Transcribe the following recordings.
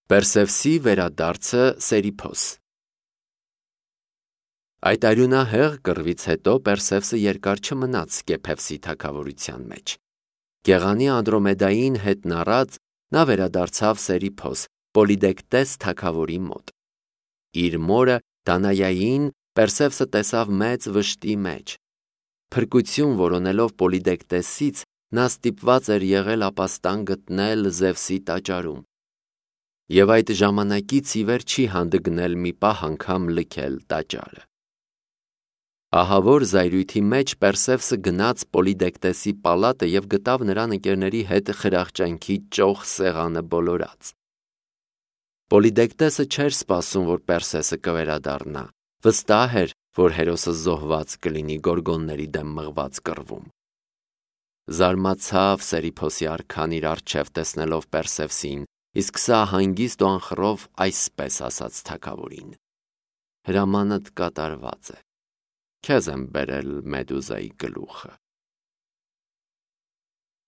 Պերսևսի վերադարձը Սերիփոս։ Այդ արյունահեղ կռվից հետո Պերսևսը երկար չմնաց Սկեփևսի թագավորության մեջ։ Գեղանի Անդրոմեդային հետն առած նա վերադարձավ Սերիփոս, Պոլիդեկտես թագավորի մոտ։ Իր մորը Դանայային Պերսևսը տեսավ մեծ վշտի մեջ։ Փրկություն որոնելով Պոլիդեկտեսից, նա ստիպված էր եղել ապաստան գտնել Զևսի տաճարում։ Եվ այդ ժամանակից ի վեր չի հանդգնել մի պահ անգամ լքել տաճարը։ Ահավոր զայրույթի մեջ Պերսևսը գնաց Պոլիդեկտեսի պալատը և գտավ նրան ընկերների հետ խրախճանքի ճոխ սեղանը բոլորած։ Պոլիդեկտեսը չէր սպասում, որ Պերսեսը կվերադառնա, վստահ էր, որ հերոսը զոհված կլինի գորգոնների դեմ մղված կռվում։ Զարմացավ Սերիփոսի արքան իր առջև տեսնելով Պերսևսին, իսկ սա հանգիստ ու անխռով այսպես ասաց թագավորին. հրամանդ կատարված է, քեզ եմ բերել Մեդուզայի գլուխը։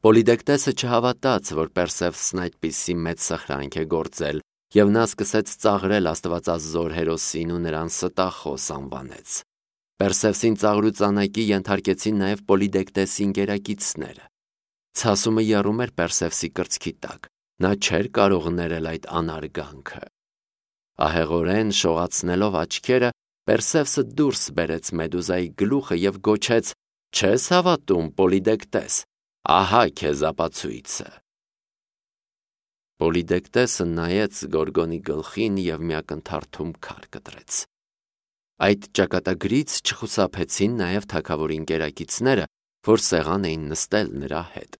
Պոլիդեկտեսը չհավատաց, որ Պերսևսն այդպիսի մեծ սխրանք է գործել, և նա սկսեց ծաղրել աստվածազոր հերոսին ու նրան ստախոս անվանեց։ Պերսևսին ծաղրուծանակի ենթարկեցին նաև Պոլիդեկտեսի ընկերակիցները։ Ցասումը եռում էր Պերսևսի կրծքի տակ, նա չէր կարող ներել այդ անարգանքը։ Ահեղորեն շողացնելով աչքերը, Պերսևսը դուրս բերեց Մեդուզայի գլուխը և գոչեց. «Չես հավատում, Պոլիդեկտես, ահա քեզ ապացույցը»։ Պոլիդեկտեսը նայեց Գորգոնի գլխին և մի ակնթարթում քար կտրեց։ Այդ ճակատագրից չխուսափեցին նաև թագավորի ընկերակիցները, որ սեղան էին նստել նրա հետ։